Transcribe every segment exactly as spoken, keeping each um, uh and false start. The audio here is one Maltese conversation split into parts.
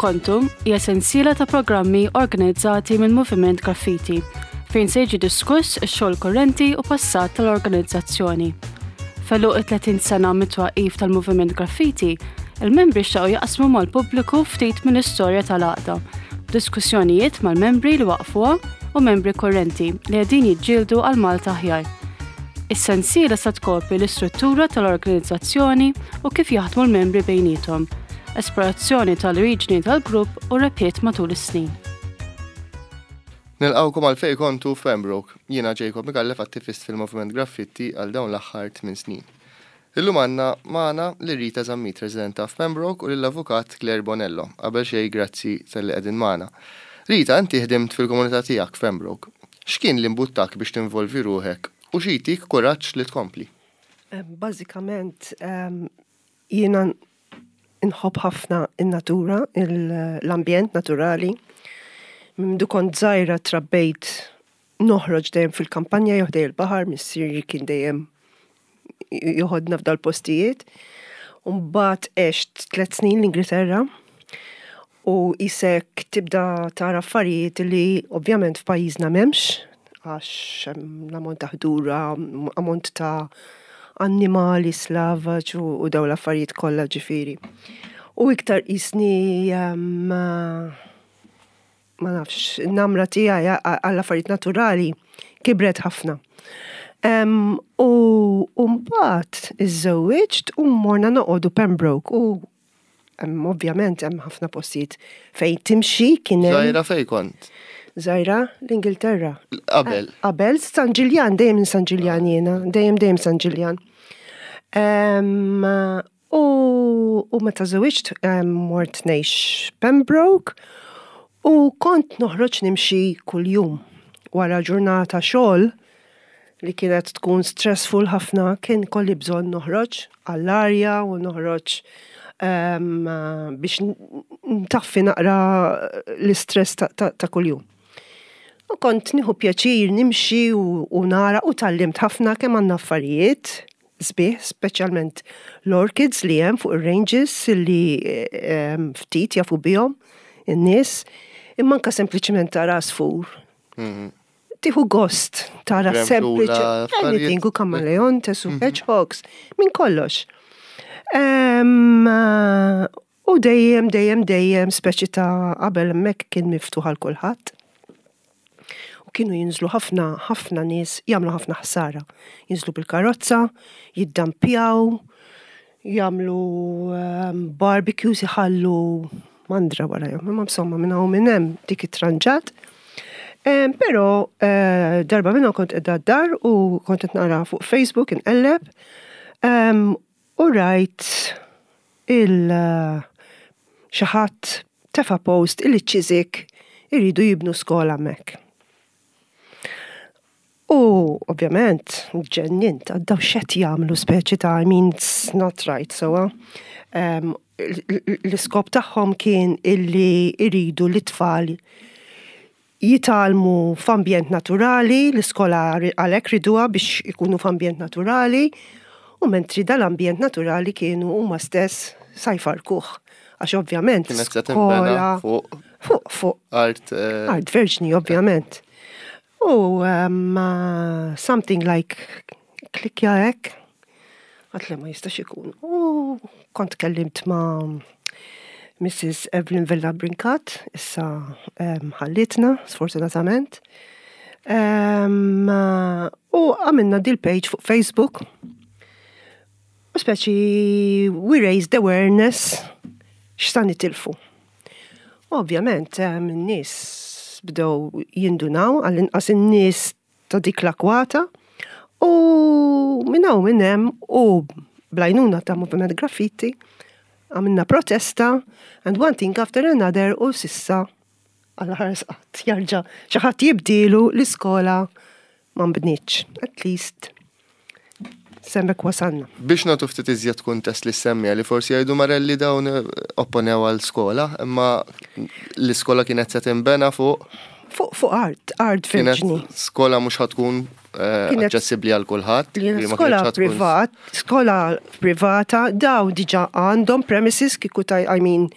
Kontu hija sensiela ta' programmi organizzati minn Moviment Graffiti fejn se jiġi diskuss ix-xogħol kurrenti u passat tal-organizzazzjoni. F'għeluq it-tletin sena mit-twaqqif tal-Moviment Graffiti, il-membri xtaqu jaqsmu mal-pubbliku ftit mill-istorja tal-għaqda, diskussjonijiet mal-membri li waqfuha u membri kurrenti li qegħdin jiġġieldu għal Malta aħjar. Is-sensiela sa tkopri l-istruttura tal-organizzazzjoni u kif jaħdmu l-membri bejniethom, esplorazzjoni tal-oriġini tal-grupp u rebħiet matul is-snin. Nilqgħukom għal Fejn Kontu f'Pembroke. Jiena Jacob Micallef, attivist fil-Moviment Graffiti għal dawn l-aħħar tmien snin. Illum għandna magħna lil Rita Zammit, residenta f'Pembroke, u lill-avukat Claire Bonello. Qabel xejn, grazzi talli qegħdin magħna. Rita, inti ħdimt fil-komunità tiegħek f'Pembroke. X'kien li mbuttak biex tinvolvi ruħek u xi jtik kuraġġ li tkompli? Bażikament jiena nħobb ħafna in-natura, l-ambjent naturali. Mindu kont żgħira trabbejt noħroġ dejjem fil-kampanja jew ħdejn il-baħar, missieri kien dejjem joħodna f'dal-postijiet. Mbagħad għext tliet snin l-Ingilterra u qisek tibda tara affarijiet li ovvjament f'pajjiżna m'hemmx, għax hemm l-ammont ta' ħdura, ammont ta' annimali slavaġ u daw l-affarijiet kollha ġifieri. U iktar qisni, ma nafx, namra tiegħi għall-affarijiet naturali kibret ħafna. U mbagħad iżżewwiġt u morna noqogħdu Pembroke u ovvjament hemm ħafna postijiet fejn timxi kien hemm. Żgħira fejn kont? Żgħira l-Ingilterra. Qabel. Qabel San Ġiljan, dejjem San Ġiljan jiena, dejjem dejjem San Ġiljan. U meta żewwiġt mort ngħix Pembroke u kont noħroġ nimxi kuljum. Wara ġurnata xogħol li kienet tkun stressful ħafna, kien kolli bżonn noħroġ għall-arja u noħroġ biex ntaffi naqra l-istress ta' kuljum. U kont nieħu pjaċir nimxi u nara u tgħallimt ħafna kemm għandna affarijiet sbieħ, speċjalment l-orchids li hemm fuq ir-ranges li ftit jafu bihom in-nies, imma anke sempliċement tara għasfur. Tieħu gost tara sempliċi anything, u kamaleontes u hedgehogs, minn kollox. U dejjem, dejjem, dejjem, speċi ta' qabel hemmhekk kien miftuħ għal kulħadd. U kienu jinżlu ħafna, ħafna nies jagħmlu ħafna ħsara. Jinżlu bil-karozza, jiddampjaw, jagħmlu barbecues, iħallu mandra warajhom. Imma insomma minn hawn minn hemm dik it-tranġat. Però darba minnhom kont qiegħda d-dar u kont qed nara fuq Facebook inqelleb u rajt il xi ħadd tefa' post illi Chiswick iridu jibnu skola hemmhekk. U ovvjament ġennint, għaddaw x'qed jagħmlu, speċi ta', I mean, it's not right, so l-iskop tagħhom kien illi iridu l-tfal jitgħallmu f'ambjent naturali, l-iskola għalhekk riduha biex ikunu f'ambjent naturali, u mentri dal-ambjent naturali kienu huma stess sa jfarkuh. Għax ovvjament skola fuq fuq art art verġni, ovvjament. U um, something like klikja hekk, għedt le, ma jistax ikun. U kont kellimt ma' Missus Evelyn Vella Brincat, issa ħallitna, sfortunatament. Um, u għamilna dil page fuq Facebook. U speċi we raised awareness x'sa nitilfu. Ovvjament, n-nies bdew jindunaw, għall-inqas in-nies ta' dik l-akwata, u minn hawn minn hemm u bl-għajnuna ta' Moviment Graffiti għamilna protesta, and one thing after another, u s'issa għal ħares qatt jarġa' xi ħadd jibdilu l-iskola ma nbnietx. At least s'hemmhekk wasalna. Biex nagħtu ftit iżjed kuntest lis-semmiegħa li forsi jgħidu marelli dawn opponew għal skola, imma l-iskola kienet se tinbena fuq Fuq fuq art, art Kienet verġni. skola mhux ħa tkun eh, Kienet- aċċessibbli għal kulħadd. Kienet li ma skola kienx ħa tkun- privat, skola privata, daw diġà għandhom premises kieku ta' I mean,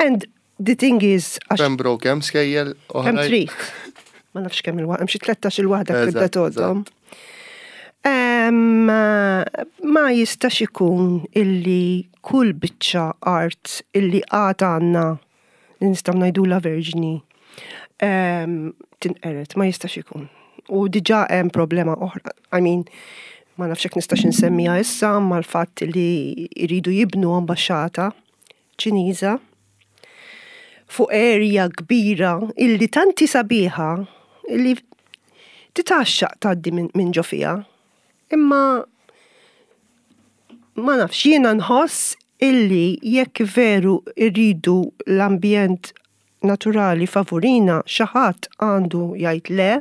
and The thing is, għax Pembroke hemm skejjel kemm oħrajn. trid. Ma nafx kemm il-waħda, hemm xi tlettax il-waħda tibda Eżatt, tgħoddhom. Em, Ma jistax ikun illi kull biċċa art illi għad għandna li nistgħu ngħidula verġni em, tinqered, ma jistax ikun. U diġà hemm problema oħra. I mean, ma nafx hekk nistax insemmiha issa, ma l-fatt li jridu jibnu ambaxxata Ċiniża fuq area kbira illi tanti sabiħa illi titgħaxxaq tgħaddi minn min ġo fiha. Imma ma nafx, jiena nħoss illi jekk veru irridu l-ambjent naturali favurina, xi ħadd għandu jgħid le,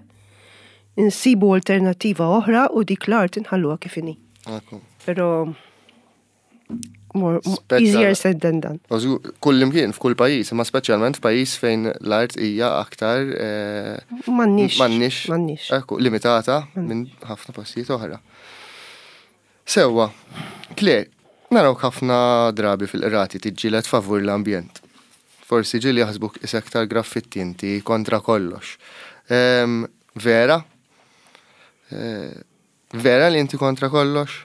insibu alternativa oħra u dik l-art inħalluha kif inhi. Ekku. Pero more, Speċa- easier said than done. U żgur, kull imkien f'kull pajjiż, imma speċjalment f'pajjiż fejn l-art hija aktar eh, M'għandniex. m'għandniex M'għandniex. Ekku, limitata minn ħafna postijiet oħra. Sewwa, Claire, narawk ħafna drabi fil-qrati tiġġieled favur l-ambjent. Forsi ġieli jaħsbuk isek tal-graffitti inti kontra kollox. Em, Vera? Eh, Vera li inti kontra kollox?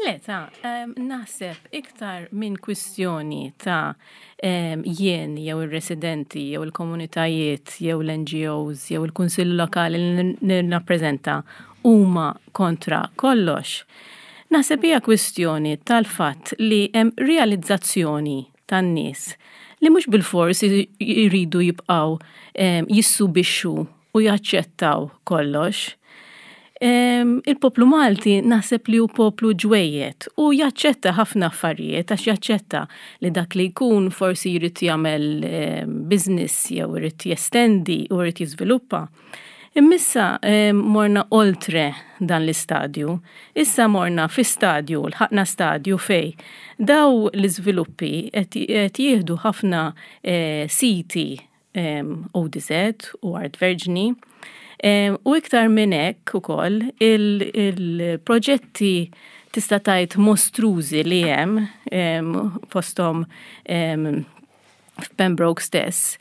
Le, ta' em, naħseb iktar minn kwistjoni ta' em, jien jew ir-residenti jew il-komunitajiet jew l-N G Os jew il-Kunsill Lokali li nirrappreżenta huma kontra kollox. Naħseb hija kwistjoni tal-fatt li hemm realizzazzjoni tan-nies li mhux bilfors jridu jibqgħu em, jissubixxu u jaċċettaw kollox. Em, Il-poplu Malti naħseb li hu poplu ġwejjed u jaċċetta ħafna affarijiet, għax jaċċetta li dak li jkun forsi jrid jagħmel em, business jew jrid jestendi u jrid jiżviluppa. Imma issa em, morna oltre dan l-istadju. Issa morna fi stadju, lħaqna stadju fej daw l-iżviluppi qed qed jieħdu ħafna eh, siti em, O D Z u art verġni. Em, U iktar minn hekk ukoll il-proġetti tista' tgħid mostrużi li hemm em, fosthom em, f'Pembroke stess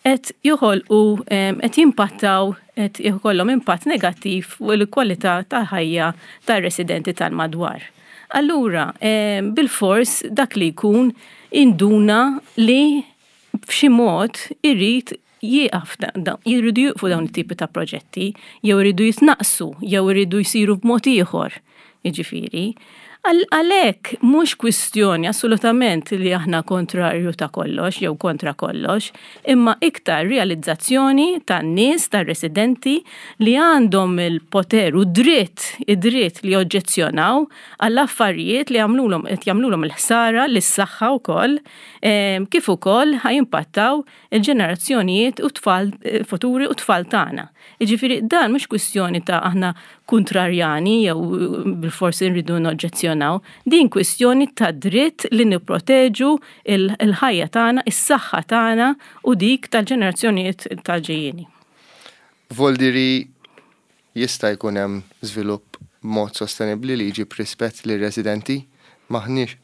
qed joħolqu em, qed jimpattaw, qed jkollhom impatt negattiv fuq il-kwalità ta' ħajja tar-residenti tal-madwar. Allura, em, bil-fors dak li jkun induna li b'xi mod irrid jieqaf da- da- jridu jieqfu dawn it-tipi ta' proġetti, jew iridu jitnaqsu, jew iridu jsiru b'mod ieħor. Jiġifieri. Għal- Għalhekk mhux kwistjoni assolutament li aħna kontrarju ta' kollox jew kontra kollox, imma iktar realizzazzjoni tan-nies, tar-residenti li għandhom il-poter u dritt, id-dritt li joġġezzjonaw għall-affarijiet li jagħmlulhom qed jagħmlulhom il-ħsara lis-saħħa wkoll, em, kif ukoll ħa jimpattaw il-ġenerazzjonijiet u tfal eh, futuri u tfal tagħna. Jiġifieri dan mhux kwistjoni ta' aħna kontrarjani jew bil-forsi nridu noġġezzjonaw, din kwistjoni ta' dritt li nipproteġu il- il-ħajja tagħna, is-saħħa tagħna u dik tal-ġenerazzjonijiet tal-ġejjieni. Voldiri jista' jkun hemm żvilupp b'mod sostenibbli li jġib rispett lir-residenti, maħniex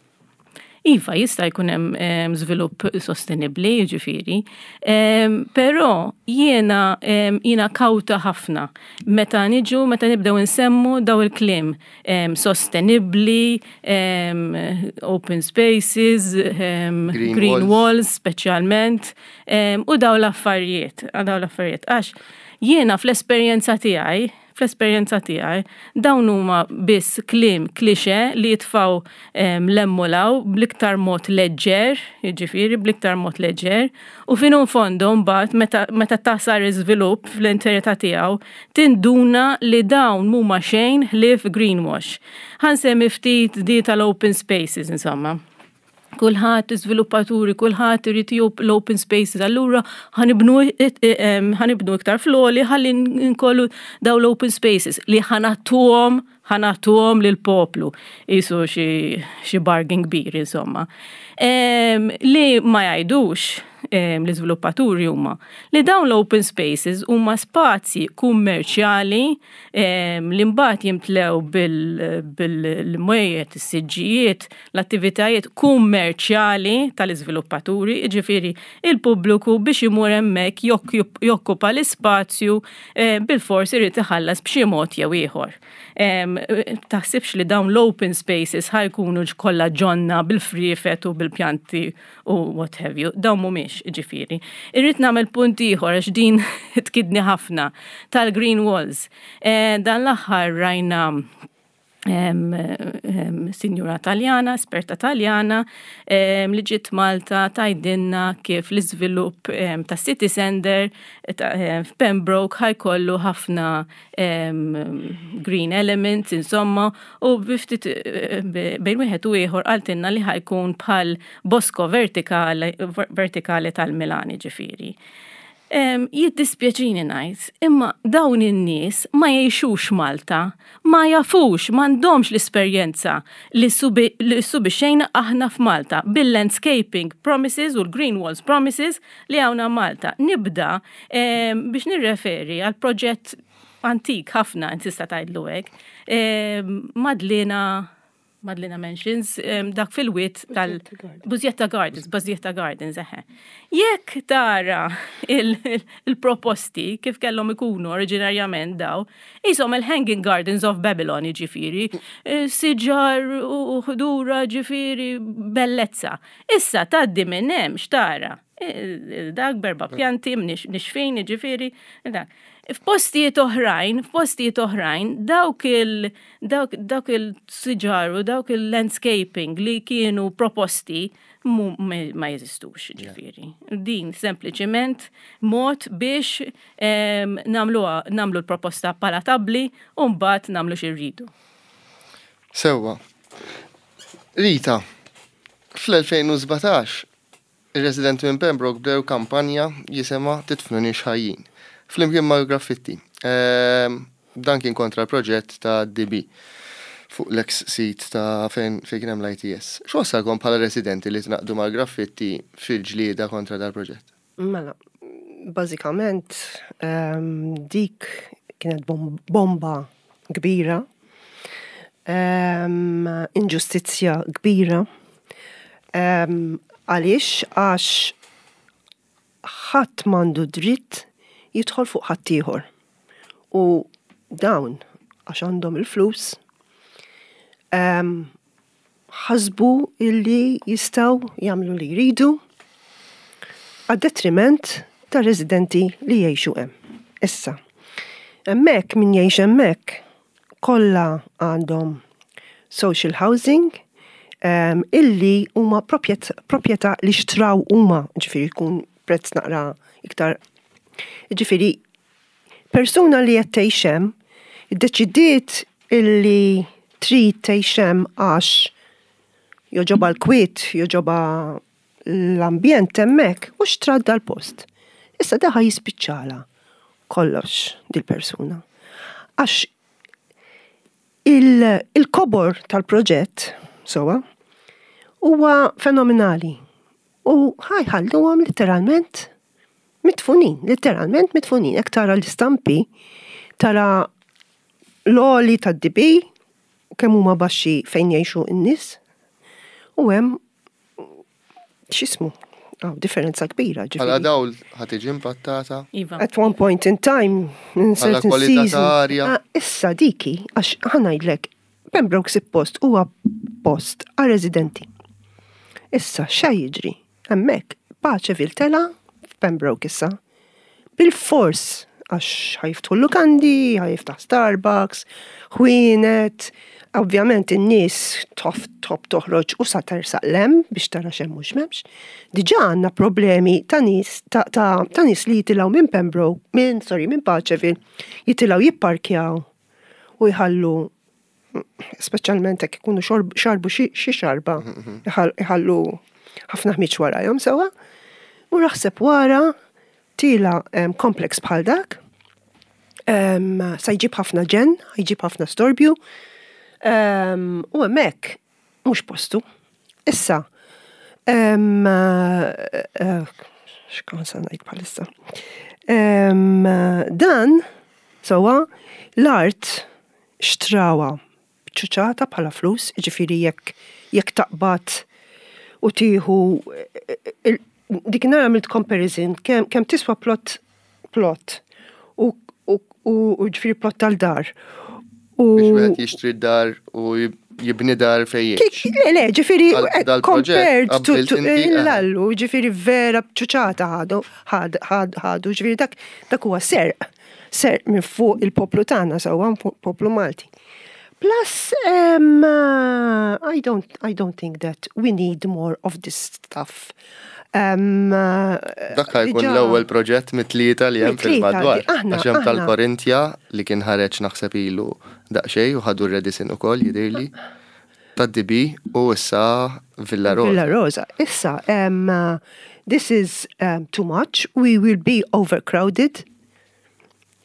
Iva, jista' jkun hemm em, żvilupp sostenibbli, jiġifieri, Em, però jiena em, jiena kawta ħafna meta niġu, meta nibdew insemmu daw il-kliem em, sostenibbli, em, open spaces, em, Green green walls. walls speċjalment, em, u daw l-affarijiet, daw l-affarijiet. Għax jiena fl-esperjenza tiegħi, fl-esperjenza tiegħi, dawn huma biss kliem klixe li jitfaw em, lemmulaw bl-iktar mod leġġer, jiġifieri bl-iktar mod leġġer, u finu fondo mbagħad meta, meta tasar iżvilupp fl-interità tiegħu, tinduna li dawn mhuma xejn ħlief greenwash. Ħa nsemmi ftit di tal-open spaces, insomma. Kulħadd, iżviluppaturi, kulħadd irid jieħu l-open spaces, allura ħa nibnu ħa nibnu iktar fl-għoli ħalli nkollu daw l-open spaces li ħa nagħtuhom ħa nagħtuhom lill-poplu. Qisu xi xi bargain kbir, insomma. Em, Li ma jgħidux l-iżviluppaturi huma li dawn l-open spaces huma spazji kummerċjali li mbagħad jimtlew bil-mwejjed, is-siġġijiet, l-attivitajiet kummerċjali tal-iżviluppaturi, jiġifieri il-pubbliku biex imur hemmhekk jokkupa l-ispazju bilfors irid iħallas b'xi mod jew ieħor. Taħsibx li dawn l-open spaces ħa jkunu kollha ġonna bil-friefet u bil-pjanti u what have you. Dawn mhumiex, ġifieri. Irrid nagħmel punt ieħor għax din tkidni ħafna tal-green walls. Dan l-aħħar rajna sinjura Taljana, esperta Taljana, li ġiet Malta tgħidilna kif l-iżvilupp ta' City Center f'Pembroke ħa jkollu ħafna green elements, insomma, u biftit bejn wieħed u ieħor qaltilna li ħa jkun bħal bosco vertikali, vertikali tal-Milan, ġifieri. Jiddispjaċini ngħid, imma dawn in-nies ma jgħixux Malta, ma jafux, m'għandhomx l-esperjenza li subixxejna aħna f'Malta bil-landscaping promises u l-green walls promises li hawn Malta. Nibda biex nirreferi għal proġett antik ħafna, tista' tgħidlu hekk, Madlina Madlina Mansions, dak fil-wied tal-Busietta Gardens, Busietta Gardens, eħe. Jekk tara il-proposti kif kellhom ikunu oriġinarjament daw, jisom il-Hanging Gardens of Babylon, ġifieri, siġar u ħdura, ġifieri, bellezza. Issa tgħaddi minn hemm x'tara? Dak b'erba' pjanti, nixfin, ġifieri, dak. F'postijiet oħrajn, f'postijiet oħrajn, dawk il dawk, dawk il-siġar u dawk il-landscaping li kienu proposti ma jeżistux, ġifieri. Din sempliċiment mod biex nagħmlu l-proposta palatabli u mbagħad nagħmlu x'irridu. Sewwa. Rita, fl-elfejn u sbatax ir-residenti minn Pembroke bdew kampanja jisimha "Tidfnuniex Ħajjin" flimkien ma' Graffitti. Ehm, dan kien kontra l-proġett ta' D B fuq l-ex sit ta' fejn fejn kien hemm l-I T S. X'wassalkom bħala residenti li tingħaqdu mal-Graffitti fil-ġlieda kontra dal-proġett? Mela, bażikament ehm, dik kienet bomba kbira, ehm, inġustizzja kbira. Għaliex? Għax ħadd m'għandu dritt jidħol fuq ħaddieħor. U dawn, għax għandhom il-flus, ħasbu illi jistgħu jagħmlu li jridu għad-detriment ta' residenti li jgħixu hemm. Issa, hemmhekk min jgħix hemmhekk kollha għandhom social housing um, illi huma proprjetà li xtraw huma, ġifieri jkun prezz naqra iktar. Ġifieri, persuna li qed tgħix hemm, iddeċidiet illi trid tgħix hemm għax jogħġobha l-kwiet, jogħġobha l-ambjent hemmhekk u xtrat dal-post. Issa daħa jispiċċala kollox dil-persuna. Għax il-kobor tal-proġett, sowa, huwa fenomenali. U ħa jħalluhom literalment midfunin, literalment midfunin. Jekk tara l-istampi, tara l-għoli tad-D B, kemm huma baxxi fejn jgħixu n-nies, u hemm x'ismu, oh, differenza kbira. Bħala dawl ħa tiġi impattata. Iva. At one point in time, in certain season. Ah, issa diki, għax ħa ngħidlek, Pembroke post huwa post għal residenti. Issa, xa jiġri? Hemmhekk, Paceville tela' f'Pembroke issa. Bil-fors, għax ħa jiftħu lukandi, ħa jiftaħ Starbucks, ħwienet, ovvjament in-nies tof top toħroġ u sa tersaq 'l hemm biex tara x'hemm mhux m'hemmx. Diġà għandna problemi ta' nies ta', ta, ta nies li jitilgħu minn Pembroke, minn sorry, minn Paceville, jitilgħu jipparkjaw u jħallu, speċjalment jekk ikunu xarbu xi xarba, jħallu ħafna ħmiġ warajhom sewwa. U raħseb wara tila kompleks bħal dak, sa jġib ħafna ġen, jġib ħafna storbju, u hemmhekk mhux postu. Issa, eh, X'kont sa ngħid bħalissa. Em, Dan, sewwa, l-art xtrawha ċuċata bħala flus, ġifieri jekk jekk taqbad u tieħu il- dik nara għamilt comparison kemm kemm tiswa plot plot u u u u ġifieri plot tal-dar. U Biex wieħed jixtri dar u jib- jibni dar fejn jgħix. Le, le, ġifieri, Dal- eh, dal-proġett compared to, qabbilt to inti, eh. l-allu, ġifieri vera ċuċata ħadu, ħad- ħad- ħadu, ġifieri dak, dak huwa serq, serq minn fuq il-poplu tagħna, sewwa fuq poplu Malti. Plus, um, uh, I don't, I don't think that we need more of this stuff. Um, uh, Dak ħa jkun diġà- l-ewwel proġett mit-tlieta li hemm Mit-tlieta, fil-madwar. aħna- Għax hemm aħna. tal-Korintja li kien ħareġ naħseb ilu daqsxejn u ħadu r-Radisson ukoll jidhirli. Tad-D B u issa Villa Rosa. Villa Rosa. Issa, um, uh, this is um, too much. We will be overcrowded.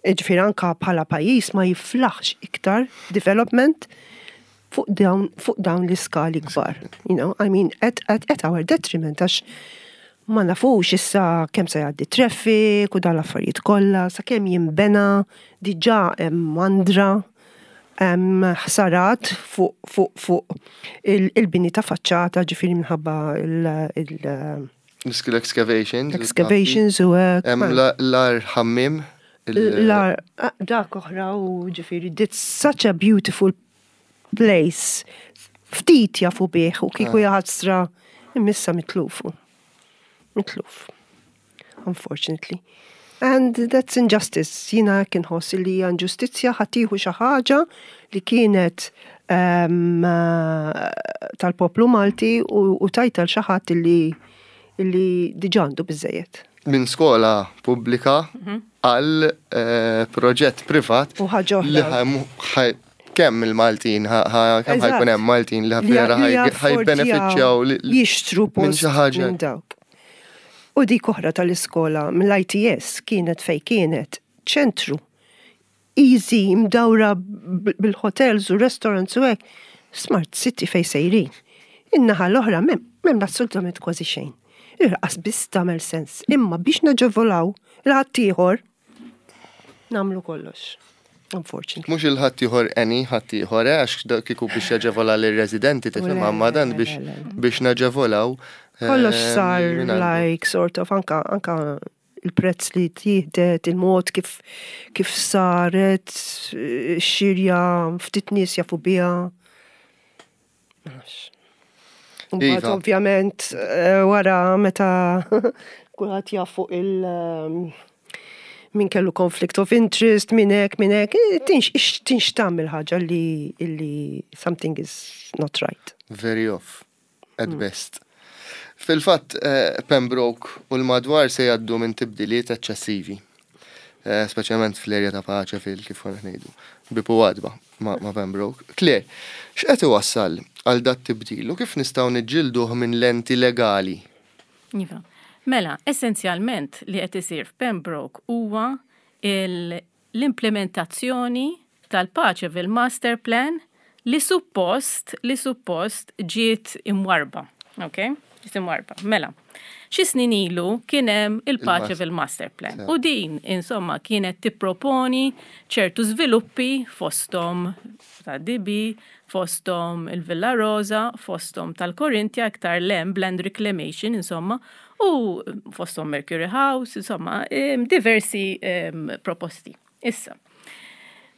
Ġifieri anka bħala pajjiż ma jiflaħx iktar development fuq dawn, fuq dawn l-iskali kbar. You know, I mean, at, at, at our detriment, għax ma nafux issa kemm se jgħaddi traffic u dan l-affarijiet kollha, sa kemm jinbena, diġà hemm mandra, hemm ħsarat fuq fuq fuq il- il-bini ta' faċċata, ġifieri minħabba il- il- Skill excavations. excavations u hekk. Hemm la- l-ar ħammim. il- L-ar, ah, dak oħra u ġifieri, it's such a beautiful place. Ftit jafu bih u kieku jaħasra imissa mitlufu. Mitluf. Unfortunately. And that's injustice. Jiena kien ħoss li hija inġustizzja ħa tieħu xi ħaġa li kienet um, tal-poplu Malti u, u tajta l xi ħadd li li diġà għandu biżejjed. Minn skola pubblika għal eh, proġett privat U ħaġa oħra. li ħa- ħa- kemm il-Maltin, ħa- ħa- kemm Eżatt. ħa jkun hemm Maltin li vera Li ħajbenefiċċjaw li- jixtru minn post xi ħaġa. minn dawk. U dik oħra tal-iskola mill-I T S kienet fej kienet ċentru. Easy, mdawra b- bil-hotels u restaurants u hekk. Smart city fej sejrin. In-naħa l-oħra m'hemm m'hemm assolutament kważi xejn. Irqas biss tagħmel sens. Imma biex naġevolaw il-ħaddieħor nagħmlu kollox. Unfortunately. Mhux il-ħaddieħor eni, ħaddieħor, eh, għax dak kieku biex jaġevola l-residenti tifhem Le, amma dan le, biex le, le. biex naġevolaw. eh, Kollox sar minn għandu. like sort of anka anka il-prezz li tieħdet, il-mod kif kif saret, xirja ftit nies jafu biha. Ma nafx. Mbagħad Iva. ovvjament eh, wara meta kulħadd jaf fuq il- ehm, min kellu conflict of interest, min hekk, min hekk, eh, tinx ix- tinx tagħmel ħaġa li illi something is not right. Very off, at Mm. best. Fil-fatt, eh, Pembroke u l-madwar se jgħaddu minn tibdiliet eċċessivi. Eh, Speċjalment fl-erja ta' Paċe fil kif konna ngħidu. Bieb u għatba ma' ma' Pembroke. Claire, x'qed iwassal għal dat tibdil u kif nistgħu niġġilduh minn lenti legali? Iva. Mela, essenzjalment li qed isir f'Pembroke huwa il- l-implementazzjoni tal-Paceville Master Plan li suppost li suppost ġiet imwarba. Ok? Ġiet imwarba. Mela, xi snin ilu kien hemm il-Paceville Master Plan. U din, insomma, kienet tipproponi ċertu żviluppi fostom ta' D B, fostom il-Villa Rosa, fostom tal-Korintja, iktar lem, land reclamation, insomma, u fostom Mercury House, insomma, em, diversi em, proposti. Issa,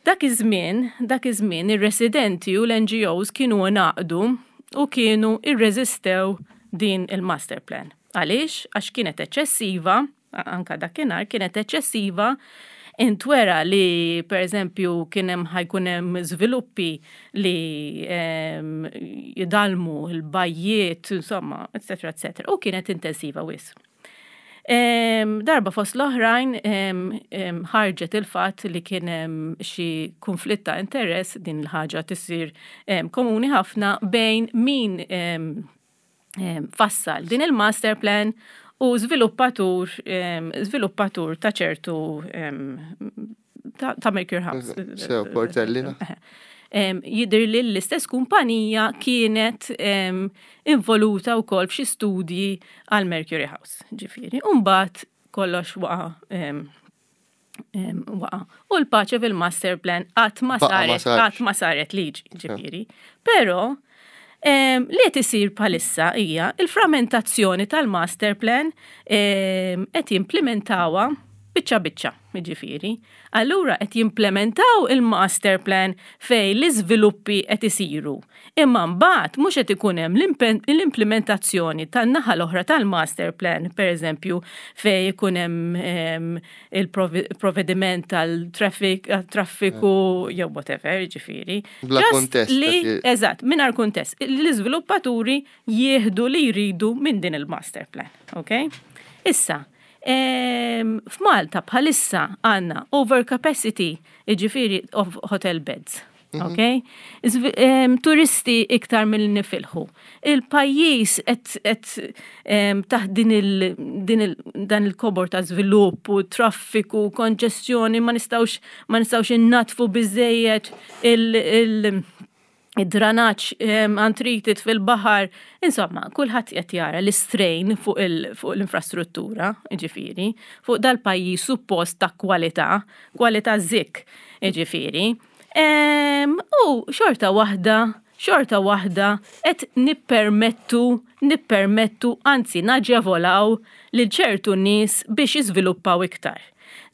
dak iż-żmien, dak iż-żmien ir-residenti u l-N G Os kienu ngħaqdu u kienu irreżistew din il-master plan. Għaliex? Għax kienet eċċessiva, anka dakinhar kienet eċċessiva, intwera li per eżempju kien hemm ħa jkun hemm żviluppi li em, jidalmu l-bajjiet, insomma, eccetera, eccetera. U kienet intensiva wisq. Em, darba fost l-oħrajn em, em, ħarġet il-fatt li kien hemm xi konflitt ta' interess, din il-ħaġa tisir em, komuni ħafna bejn min em, em, fassal din il-master plan u żviluppatur em, żviluppatur ta' ċertu em, ta', ta' Mercury House. Sew, Portelli, na? Jidher li l-istess kumpanija kienet involuta wkoll f'xi studji għal Mercury House, ġifieri. Umbagħad kollox waqa' waqa. U l-Paceville Master Plan qatt ma saret, qatt ma saret liġi, ġifieri. Però li qed isir bħalissa hija il-frammentazzjoni tal-master plan, qed jimplementawha biċċa biċċa, ġifieri. Allura qed jimplementaw il-master plan fej l-iżviluppi qed isiru. Imma mbagħad mhux qed ikun hemm l-implementazzjoni tan-naħa l-oħra tal-master plan, pereżempju fej ikun hemm il-provvediment tal-traffic, traffiku jew whatever, ġifieri. Bla kuntest. Li, eżatt, mingħajr kuntest. L-iżviluppaturi jieħdu li jridu minn din il-master plan, ok? Issa, f'Malta bħalissa għandna overcapacity, ġifieri, of hotel beds. Mhm. Ok? Turisti iktar mill nifilħu. Il-pajjiż qed taħt din il, din il, dan il-kobor ta' żvilupp u traffiku, konġestjoni, ma nistgħux ma nistgħux innatfu biżejjed il, il id-dranaġġ untreated fil-baħar, insomma, kulħadd qed jara l-istrain fuq l-infrastruttura, ġifieri, fuq dal-pajjiż suppost ta' kwalità, kwalità zik, ġifieri. U xorta waħda, xorta waħda qed nippermettu, nippermettu, anzi naġevolaw lil ċertu nies biex jiżviluppaw iktar.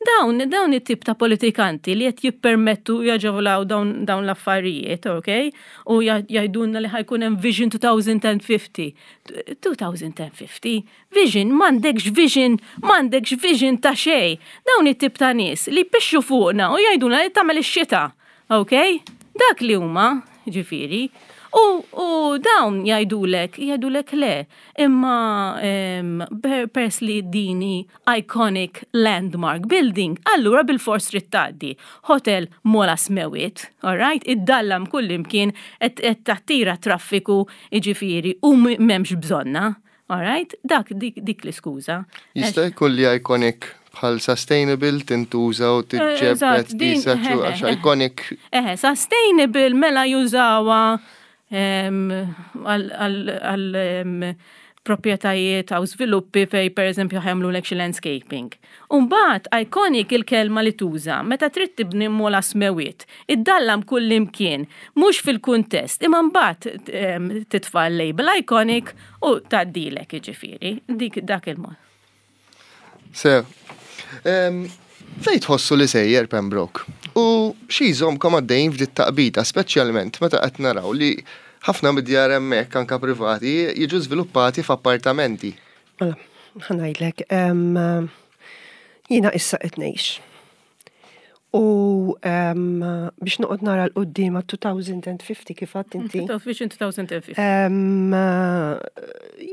Dawn, dawn it-tip ta' politikanti li qed jippermettu jaġevolaw dawn, dawn l-affarijiet, ok? U jgħidulna li ħa jkun hemm Vision twenty fifty. twenty fifty? Vision, m'għandekx vision, m'għandekx vision ta' xejn. Dawn it-tip ta' nies li jpixxu fuqna u jgħidulna li tagħmel ix-xita, ok? Dak li huma, ġifieri. U, u dawn jgħidulek, jgħidulek le, imma pers li din hi iconic landmark building, allura bil-fors trid tgħaddi. Hotel m'ogħla smewwiet, alright? Iddallam kullimkien qed tattira traffiku, ġifieri, u m'hemmx bżonna, alright? Dak dik, dik l-iskuża. Jista' jkun li iconic bħal sustainable tintuża u tiġġebbed għax iconic. Eħe, sustainable mela jużawha għal proprjetajiet għaw sviluppi fej per eżempju ħa jagħmlu l landscaping. Umbagħad, iconic il-kelma li tuża, meta trid tibni m'ogħla smewwiet, iddallam kull imkien, mhux fil-kuntest, imma mbagħad titfa' label iconic u tgħaddilek, ġifieri, dik dak il-mod. Sew, fejn tħossu li sejjer Pembroke? U xi jżommkom għaddejn f'dit taqbida, speċjalment meta qed naraw li ħafna mid-djar hemmhekk anka privati jiġu żviluppati f'appartamenti. Mela, ħa ngħidlek, jiena issa qed ngħix. U biex noqgħod nara 'l quddiem elfejn u ħamsin kif għedt inti. Vision twenty fifty.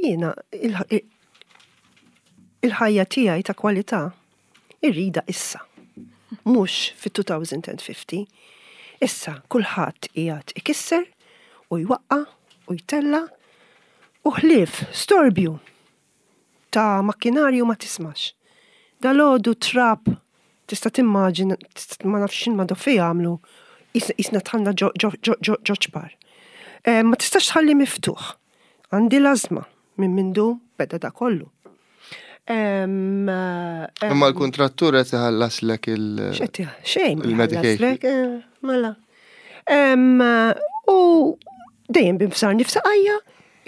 Jiena il-ħajja tiegħi ta' kwalità irridha issa. Mhux fit-elfejn u ħamsin. Issa kulħadd qiegħed ikisser u jwaqqa u jtella u ħlief storbju ta' makkinarju ma tismax. Dalgħodu trab tista' timmaġina, ma nafx ma doffi jagħmlu, qisna dħalna ġo ċpar. Eh, ma tistax tħalli miftuħ. Għandi l-ażma minn mindu beda da kollu. Imma l-kontrattur qed iħallaslek il- Xejn, il-medication. Eh, mela. U dejjem bimsar nifsaqajja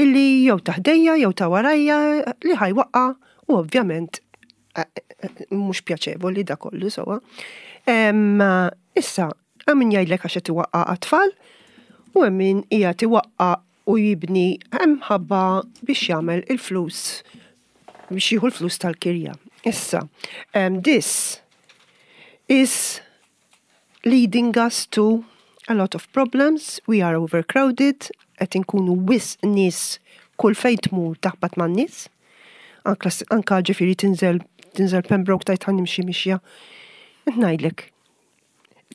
illi jew ta' ħdejja jew ta' warajja li ħa jwaqqa' u ovvjament eh, eh, mhux pjaċevoli da kollu sewwa. Issa, hemm min jgħidlek għax qed iwaqqa' għat-tfal u hemm min qiegħed iwaqqa' u jibni hemm ħabba biex jagħmel il-flus, biex jieħu l-flus tal-kirja. Issa, um, this is leading us to a lot of problems. We are overcrowded, qed inkunu wisq nies, kull fejn tmur taħbat man-nies. Anka, anka ġifieri tinżel tinżel Pembroke tgħid ħa nimxi mixja. Ngħidlek.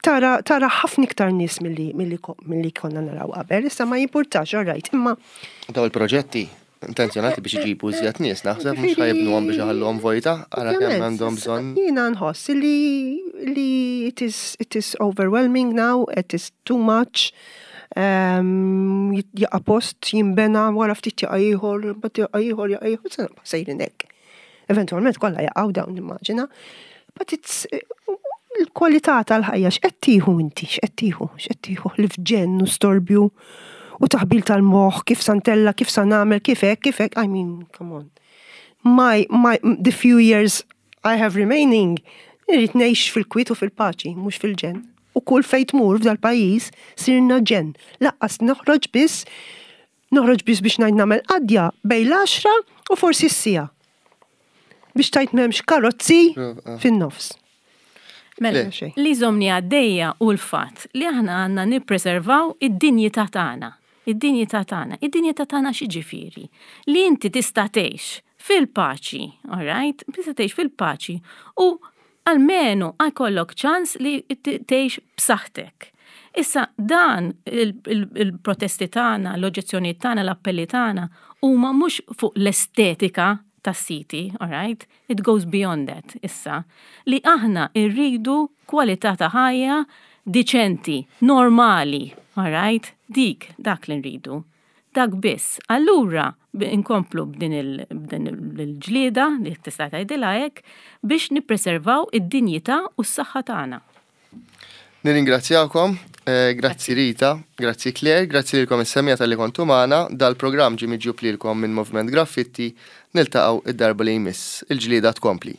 Tara, tara ħafna iktar nies milli milli milli konna naraw qabel, issa ma jimpurtax, all right, imma Daw il-proġetti Intenzjonati biex iġibu iżjed nies, naħseb mhux ħa jibnuhom biex iħalluhom vojta, ara kemm għandhom bżonn. Jiena nħoss li li it is, it is overwhelming now, it is too much. Um, jaqa' post jinbena wara ftit jaqa' ieħor, mbagħad jaqa' ieħor, jaqa' ieħor, se nibqa' sejrin hekk. Eventualment kollha jaqgħu dawn nimmaġina. But it's il-kwalità tal-ħajja x'qed tieħu inti, x'qed tieħu, x'qed tieħu li f'ġenn u storbju u taħbil tal-moħħ, kif sa ntella', kif sa nagħmel, kif hekk, kif hekk, I mean, come on. My, my, the few years I have remaining, irrid ngħix fil-kwiet u fil-paċi, mhux fil-ġenn. U kull fejn tmur f'dal pajjiż sirna ġenn. Lanqas noħroġ biss, noħroġ biss biex ngħid nagħmel qadja bejn l-għaxra u forsi s-siegħa. Biex tajt m'hemmx karozzi fin-nofs. Mela, Le. li żommni għaddejja u l-fatt li aħna għandna nippreservaw id-dinjità tagħna. Id-dinjità tagħna. Id-dinjità tagħna x'jiġifieri? Li inti tista' tgħix fil-paċi, all right? Tista' tgħix fil-paċi u almenu jkollok ċans li tgħix b'saħħtek. Issa dan il-protesti tagħna, l-oġġezzjonijiet tagħna, l-appelli tagħna huma mhux fuq l-estetika tas-siti, all right? It goes beyond that, issa. Li aħna irridu kwalità ta' ħajja diċenti, normali, all right? Dik, dak li nridu. Dak biss. Allura, inkomplu b'din il-ġlieda li tista' tgħidilha hekk biex nippreservaw id-dinjità u s-saħħa tagħna. Nirringrazzjakom, eh, grazzi Rita, grazzi Claire, grazzi lilkom is-semmiegħa talli kontu magħna, dal-programm ġie miġjub lilkom minn Moviment Graffitti, niltaqgħu id-darba li jmiss, il-ġlieda tkompli.